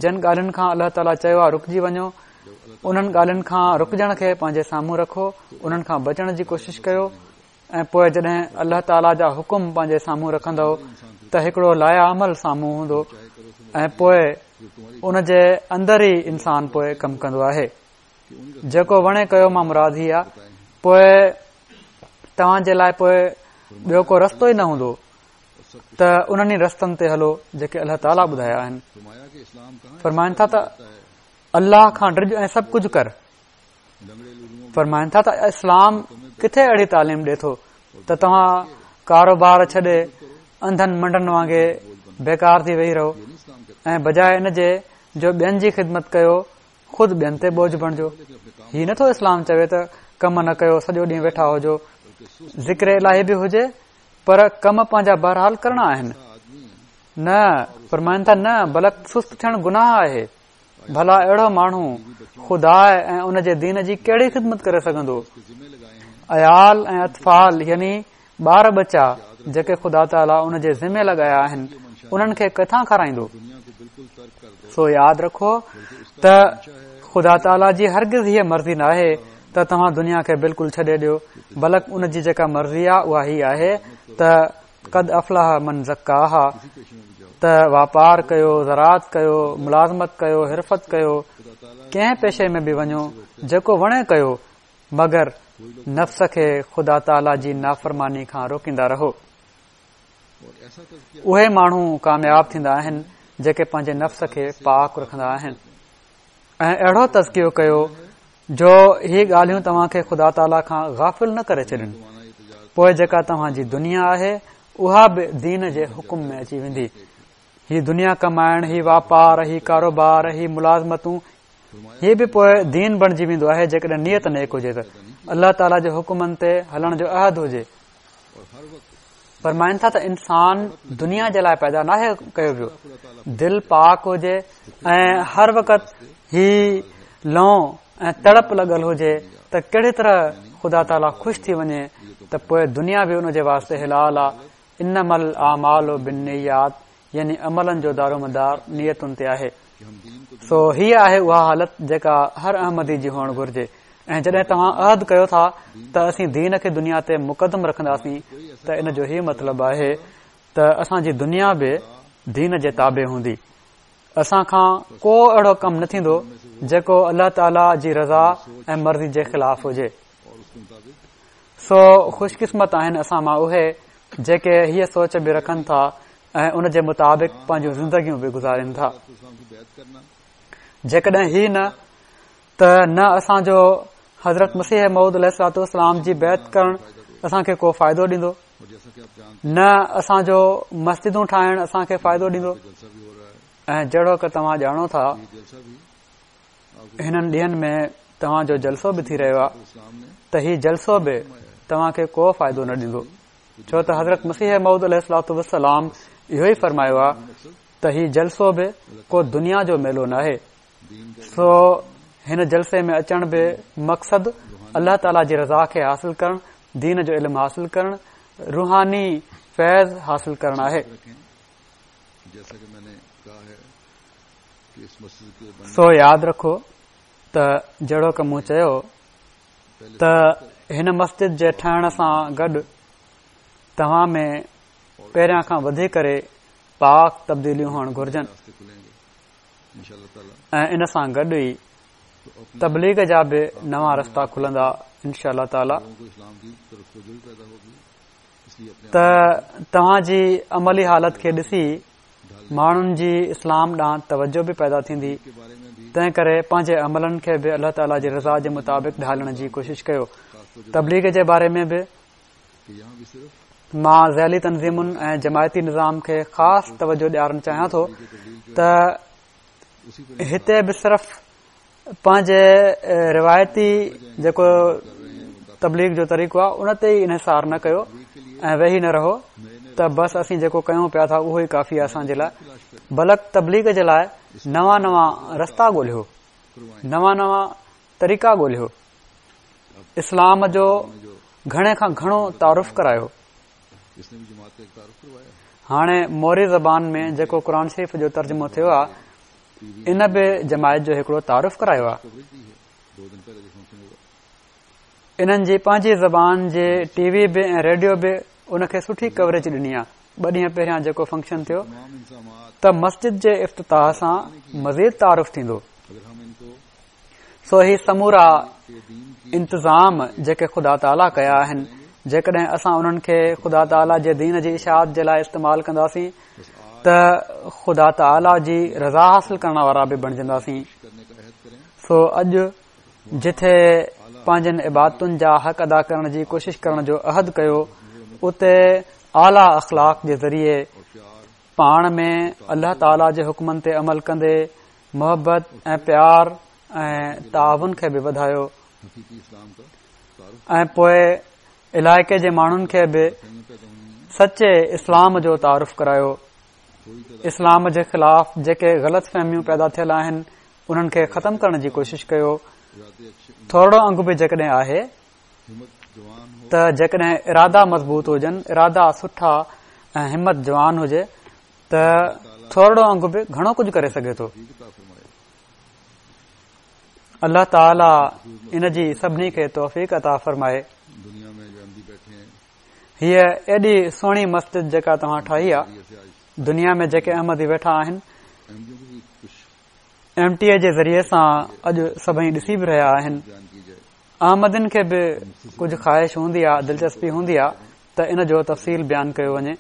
جن ڳالهين کان الله تعاليٰ چيو آهي رڪجي وڃو، انهن ڳالهين کان رڪجڻ کي پنهنجي سامهون رکو، انهن کان بچڻ جي ڪوشش ڪيو. ۽ پوء جڏهن الله تعاليٰ جا حڪم پنهنجي سامهون رکندؤ ته هڪڙو لائحه عمل سامهون هوندو ۽ پوء ان جي اندر ئي انسان پوء ڪم ڪندو آهي. جيڪو وڻي ڪيو مان مراد هي آهي، پوء توهان جي لاء پوء ٻيو ڪو رستو ئي نه هوندو ته انهن ئي رستن تي هلو جيڪي الله تعاليٰ ٻڌايا آهن. فرمائن ٿا ته الله کان ڊڄ ۽ سڀ ڪجهه ڪر. فرمائن ٿا ته اسلام ڪٿي اهڙي تعليم ڏي ٿو ته توهان ڪاروبار ڇڏي انڌن منڊن وانگي بيڪار ٿي ويهي رهو ۽ بجاء ان جي جو ٻين جي خدمت ڪيو خود ٻين تي بوجه بڻجو. هي نٿو اسلام چوي ته ڪم نه ڪيو، سڄو ڏينهن ويٺا هجو. ذڪر الاهي به هجي پر ڪم پنهنجا بهرحال ڪرڻا آهن. نه، فرمائن ٿا نه، بلڪ سست ٿيڻ گناهه آهي. ڀلا اهڙو ماڻهو خدا ۽ ان جي دين جي ڪهڙي خدمت ڪري سگهندو؟ عيال ۽ اطفال يعني ٻار ٻچا جيڪي خدا تعاليٰ ان جي ذمي لڳايا آهن، انهن کي ڪٿان کارائيندو؟ سو ياد رکو ته خدا تعاليٰ جي هرگز هيء مرضي ناهي ته توهان دنيا کي بلڪل ڇڏي ڏيو، بلڪ ان جي جيڪا مرضي آهي اها هي آهي ته قد افلح من زڪاها، ته واپار ڪيو، زراعت ڪيو، ملازمت ڪيو، حرفت ڪيو، ڪنهن پيشي ۾ به وڃو، جيڪو وڻي ڪيو، مگر نفس کي خدا تعاليٰ جي نافرماني کان روڪيندا رهو. اهي ماڻهو ڪامياب ٿيندا آهن جيڪي پنهنجي نفس کي پاڪ رکندا آهن. ۽ اهڙو تزڪيو ڪيو جو هي ڳالهيون توهان کي خدا تعاليٰ کان غافل نه ڪري ڇڏين. پوء جيڪا توهان جي دنيا آهي اها به دين جي حڪم ۾ اچي ويندي. هي دنيا ڪمائڻ، هي واپار، هي ڪاروبار، هي ملازمتون، هي به پوء دين بڻجي ويندو آهي جيڪڏهن نيت نيڪ هجي ته الله تعاليٰ جي حڪمن تي هلڻ جو عهد هجي. فرمائن ٿا ته انسان دنيا جي لاء پيدا ناهي ڪيو ويو. دل پاڪ هجي ۽ هر وقت هي لون ۽ تڙپ لڳل هجي ته ڪهڙي طرح خدا تعاليٰ خوش ٿي وڃي ته پوء دنيا به ان جي واسطي حلال آ. انما الاعمال بالنيات، يعني عملن جو دارومدار نيتن تي آهي. سو هيء آهي اها حالت جيڪا هر احمدي جي هئڻ گهرجي. ۽ جڏهن توهان عهد ڪيو ٿا ته اسين دين کي دنيا تي مقدم رکنداسين ته ان جو هي مطلب آهي ته اسان جي دنيا به دين جي تابع هوندي. اسان کان ڪو اهڙو ڪم نه ٿيندو جيڪو الله تعاليٰ جي رضا ۽ مرضي جي خلاف هجي. سو خوش قسمت آهن اسان مان اهي جيڪي هيء سوچ به رکن ٿا ۽ ان جي مطابق پنهنجون زندگيون به گذارين ٿا. جيڪڏهن هي نه ته نه اسان جو حضرت مسيح موعود عليه الصلوة والسلام جي بيعت ڪرڻ اسان کي ڪو فائدو ڏيندو، نه اسان جو مسجدون ٺاهڻ اسان کي فائدو ڏيندو. ۽ جهڙوڪ توهان ڄاڻو ٿا هنن ڏينهن ۾ توهان جو جلسو به ٿي رهيو آهي ته هي جلسو به توهان کي ڪو فائدو نه ڏيندو، ڇو ته حضرت مسيح موعود عليه الصلوة والسلام اهو ئي فرمايو آهي ته هي جلسو به ڪو دنيا جو ميلو ناهي. سو هن جلسي ۾ اچڻ به مقصد الله تعاليٰ جي رضا کي حاصل ڪرڻ، دين جو علم حاصل ڪرڻ، روحاني فيض حاصل ڪرڻ آهي. سو ياد رکو ته جهڙوڪ مون چيو ته هن مسجد جي ٺهڻ سان گڏ توهان ۾ پهريان کان وڌي ڪري پاڪ تبديليون هئڻ گهرجن ۽ ان سان گڏ ئي تبليغ جا به نوان رستا کلندا انشاء الله تعاليٰ. ته توهان جي عملي حالت کي ڏسي ماڻهن جي اسلام ڏانهن توجه به پيدا ٿيندي. تنهن ڪري پنهنجي عملن کي به الله تعاليٰ جي رضا جي مطابق ڍالڻ جي ڪوشش ڪيو. تبليغ جي باري ۾ به مان ذيلي تنظيمن ۽ جماعتي نظام کي خاص توجه ڏيارڻ چاهيان ٿو ته هتي به صرف پنهنجي روايتي جيڪو تبليغ جو طريقو آهي ان تي ئي انحصار نه ڪيو ۽ ويهي نه رهو ته بس اسين جيڪو ڪيون پيا ٿا اهو ئي ڪافي آهي اسان جي لاء، بلڪ تبليغ جي لاء نوان نوان رستا ڳولهيو، نوان نوان طريقا ڳولهيو، اسلام جو گهڻي کان گهڻو تعارف ڪرايو. هاڻي موري زبان ۾ جيڪو قرآن شريف جو ترجمو ٿيو آهي ان به جماعت جو هڪڙو تعارف ڪرايو آهي. انهن جي پنهنجي زبان جي ٽي وي به ۽ ريڊيو به ان کي سٺي ڪوريج ڏني آهي. ٻه ڏينهن پهريان جيڪو فنڪشن ٿيو ته مسجد جي افتتاح سان مزيد تعارف ٿيندو. سو هي سمورا انتظام جيڪي خدا تعاليٰ ڪيا آهن، جيڪڏهن اسان انهن کي خدا تعاليٰ جي دين جي اشاعت جي لاء استعمال ڪنداسين ته خدا تعاليٰ جي رضا حاصل ڪرڻ وارا به بڻجنداسين. سو اڄ جٿي پنهنجن عبادتن جا حق ادا ڪرڻ جي ڪوشش ڪرڻ جو عهد ڪيو، اتي اعليٰ اخلاق جي ذريعي پاڻ ۾ الله تعاليٰ جي حڪمن تي عمل ڪندي محبت ۽ پيار ۽ تعاون کي به وڌايو ۽ پوء علائقي جي ماڻهن کي به سچي اسلام جو تعارف ڪرايو. اسلام جي خلاف جيڪي غلط فهميون پيدا ٿيل آهن انهن کي ختم ڪرڻ جي ڪوشش ڪيو. ٿورڙو انگ به جيڪڏهن آهي ته جيڪڏهن ارادا مضبوط هجن، ارادا سٺا ۽ همت جوان هجي ته ٿورڙو انگ به گهڻو ڪجهه ڪري سگهي ٿو. الله تعاليٰ ان جي سڀني کي توفيق عطا فرمائي. هيء ايڏي سهڻي مسجد جيڪا توهان ٺاهي آ، دنيا ۾ جيڪي احمدي ويٺا آهن ايم ٽي اي جي ذريعي سان اڄ سڀئي ڏسي به رهيا آهن. احمدين کي به ڪجهه خواهش هوندي آ، دلچسپي هوندي آ ته ان جو تفصيل بيان ڪيو وڃي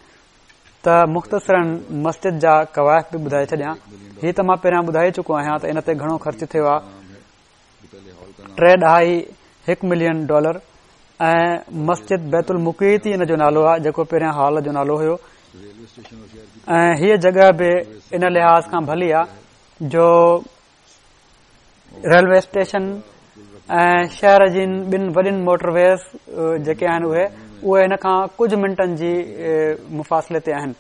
ته مختصراً مسجد جا ڪوائف به ٻڌائي ڇڏيان. هي ته مان پهريان ٻڌائي چڪو آهيان ته ان تي گهڻو خرچ ٿيو آ، ٽي ڏهائي هڪ ملين ڊالر. ۽ مسجد بيت المقيت ئي ان جو نالو آ، جيڪو پهريان هال جو نالو هيو. ۽ هيء جڳهه به ان لحاظ کان ڀلي آ جو ريلوي اسٽيشن ۽ شهر جي ٻن وڏين موٽر ويز جيڪي آهن اهي اهي هن کان ڪجهه منٽن جي مفاصلي تي آهن.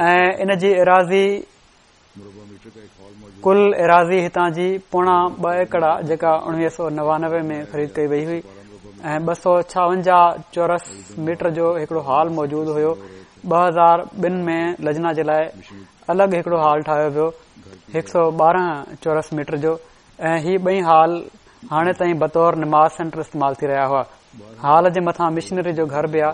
۽ ان جي ايراضي ڪل ايراضي هتان جي پوڻا ٻه ايڪڙ آ، جيڪا اڻويهه سؤ نوانوي ۾ خريد ڪئي وئي هئي ۽ ٻه سؤ ڇاونجاهه چورس ميٽر جو هڪڙو هال موجود هيو. ٻه هزار ٻن ۾ لجنا جي لاء الڳ هڪڙو هال ٺاهيو ويو، هڪ سؤ ٻارهن چورس ميٽر جو، ۽ هي ٻئي هال هاڻي تائين بطور نماز سينٽر استعمال ٿي رهيا هئا. هال جي مٿان مشنري جو گهر به آ.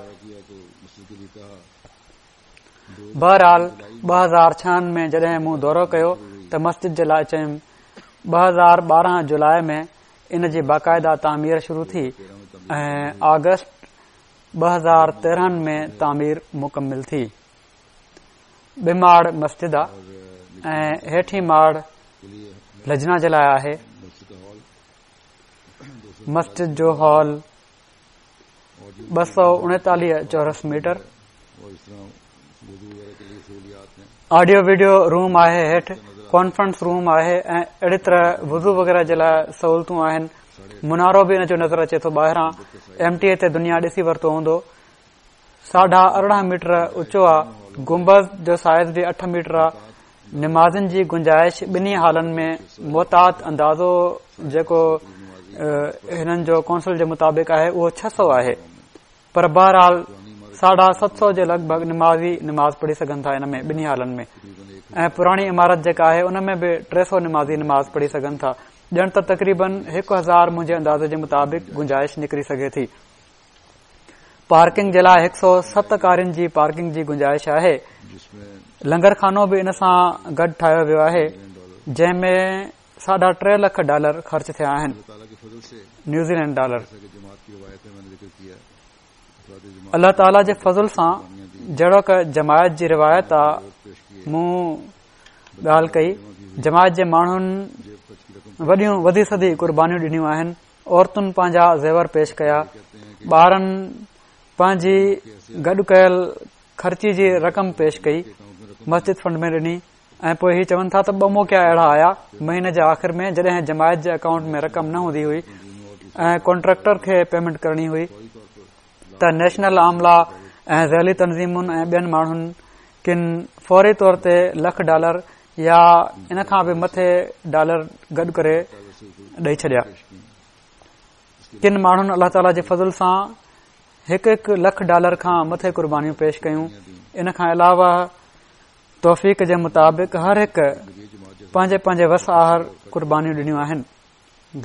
بهرحال ٻه هزار ڇهن ۾ جڏهن مون دورو ڪيو ته مسجد جي لاء چيم. ٻه هزار ٻارهن جولاء ۾ ان جي باقاعده تعمير شروع ٿي ۽ آگسٽ ٻه هزار تيرهن ۾ تعمير مڪمل ٿي. ٻه ماڙ مسجد آ ۽ هيٺين ماڙ لجنا جي لاء آهي. مسجد جو هال ٻه سؤ اڻيتاليهه چورس ميٽر، آڊيو ويڊيو روم آهي، هيٺ ڪانفرنس روم آهي ۽ اهڙي طرح وضو وغيره جي لاء سهولتون آهن. منارو به ان جو نظر اچي ٿو ٻاهران. ايم ٽي اي تي دنيا ڏسي ورتو هوندو. ساڍا ارڙهن ميٽر اوچو آ. گنبذ جو سائز به اٺ ميٽر آ. نمازين جي گنجائش ٻنهي هالن ۾ محتاط اندازو جيڪو هنن جو ڪونسل جي مطابق آهي اهو ڇهه سؤ آهي، پر بهرحال ساڍا ست سؤ جي لڳ ڀڳ نمازي نماز پڙهي سگهن ٿا ان ۾ ٻنهي هالن ۾. ۽ پراڻي عمارت جيڪا آهي ان ۾ به ٽي سؤ نمازي نماز پڙهي سگهن ٿا. ڄڻ ته تقريبن هڪ هزار منهنجي اندازي جي مطابق گنجائش نڪري سگهي ٿي. پارڪنگ جي لاء هڪ سؤ ست ڪارين جي پارڪنگ جي گنجائش آهي. لنگر خانو به ان سان گڏ ٺاهيو ويو آهي، جنهن ۾ ساڍا ٽي لک ڊالر خرچ ٿيا آهن، نيوزيلينڊ ڊالر. الله تعاليٰ جي فضل سان جهڙوڪ جماعت جي روايت آ، مون ڳالهه ڪئي. جماعت جي ماڻهن وڏيون وڌي سڌي قربانيون ڏنيون آهن. عورتن پنهنجا زيور پيش ڪيا، ٻارن پنهنجي گڏ ڪيل خرچي جي رقم پيش ڪئي، مسجد فنڊ ۾ ڏني. ۽ پوءِ هي چون ٿا ته ٻه موقعا اهڙا آيا مهيني جي آخر ۾ جڏهن جماعت جي اڪائونٽ ۾ رقم نه هوندي هئي ۽ ڪانٽريڪٽر کي پيمينٽ ڪرڻي هئي ته نيشنل عاملا ۽ ذيلي تنظيمن ۽ ٻين ماڻهن ڪن فوري طور تي لک ڊالر يا ان کان به مٿي ڊالر گڏ ڪري ڏئي ڇڏيا. ڪن ماڻهن الله تعاليٰ جي فضل سان هڪ هڪ لک ڊالر کان مٿي قربانيون پيش ڪيون. ان کان علاوه توفيق جي مطابق هر هڪ پنهنجي پنهنجي وس آهر قربانيون ڏنيون آهن.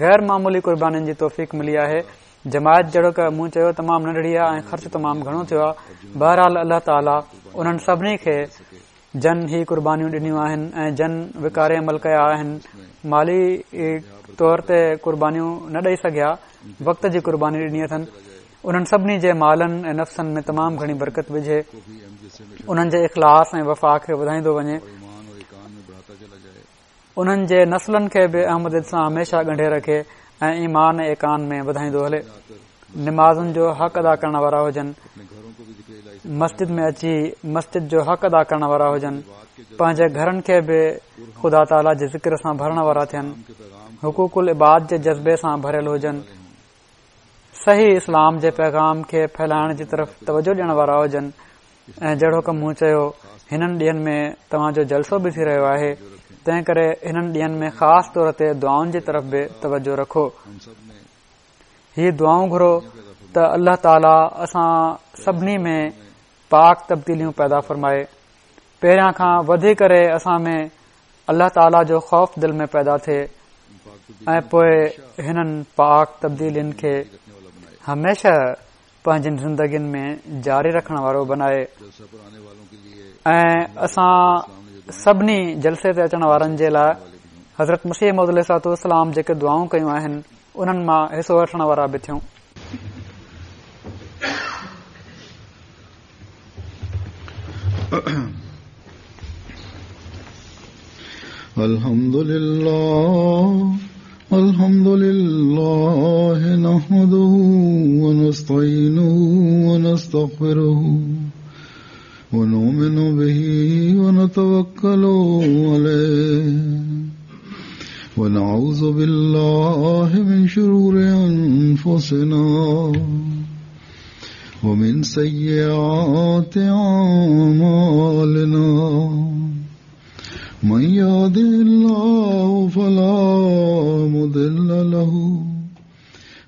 غير معمولي قربانين جي توفيق ملي آهي. جماعت جهڙوڪ مون چيو تمام ننڍڙي آهي ۽ خرچ تمام گهڻو ٿيو آهي. بهرحال الله تعاليٰ انهن سڀني کي جن هي قربانيون ڏنيون آهن ۽ جن وقاري عمل ڪيا آهن، مالي طور تي قربانيون نه ڏئي سگهيا، وقت جي قرباني ڏني اٿن، انهن سڀني جي مالن ۽ نفسن ۾ تمام گهڻي برڪت وجهي، انهن جي اخلاص ۽ وفا کي وڌائيندو وڃي، انهن جي نسلن کي به احمديت سان هميشه ڳنڍي رکي ۽ ايمان ۽ ايقان ۾ وڌائيندو هلي. نمازن جو حق ادا ڪرڻ وارا هجن، مسجد ۾ اچي مسجد جو حق ادا ڪرڻ وارا هجن، پنهنجي گهرن کي به خدا تعاليٰ جي ذڪر سان ڀرڻ وارا ٿين، حقوق العباد جي جذبي سان ڀريل هجن، صحيح اسلام جي پيغام کي ڦهلائڻ جي طرف توجه ڏيڻ وارا هجن. ۽ جهڙوڪ مون چيو هنن ڏينهن ۾ توهان جو جلسو به ٿي رهيو آهي، تنهن ڪري هنن ڏينهن ۾ خاص طور تي دعائن جي طرف به توجه رکو. هي دعائون گهرو ته الله تعاليٰ اسان سڀني ۾ پاڪ تبديليون پيدا فرمائي. پهريان کان وڌي ڪري اسان ۾ الله تعاليٰ جو خوف دل ۾ پيدا ٿئي ۽ پوءِ هنن پاڪ تبديلين کي هميشه پنهنجين زندگين ۾ جاري رکڻ وارو بنائي. ۽ اسان سڀني جلسي تي اچڻ وارن جي لاءِ حضرت مسيح موعود عليه الصلوة والسلام جيڪي دعائون ڪيون آهن انهن مان حصو وٺڻ وارا به ٿيون. الحمد لله الحمد لله نحمده ونستعينه ونستغفره ونؤمن به ونتوكل عليه ونعوذ بالله من شرور أنفسنا ومن سيئات أعمالنا من يهده الله فلا مضل له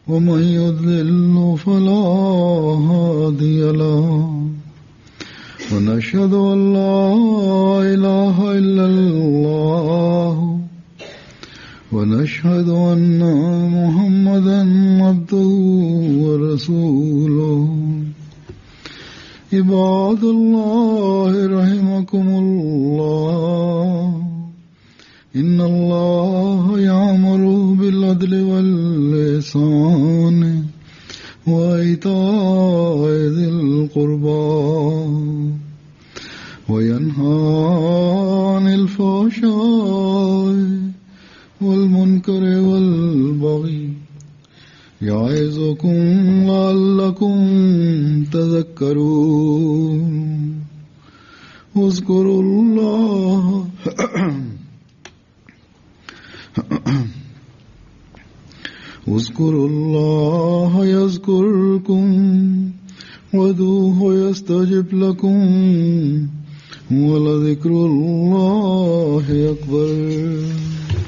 ومن يضلل فلا هادي له ونشهد أن لا إله إلا الله ونشهد أن محمدا عبده ورسوله. عباد الله رحمكم الله، إن الله يأمر بالعدل والإحسان وإيتاء ذي القربى وينهى عن الفحشاء والمنكر والبغي يعظكم لعلكم تذكرون. اذكروا الله اذكروا الله يذكركم وادعوه يستجب لكم ولذكر الله أكبر.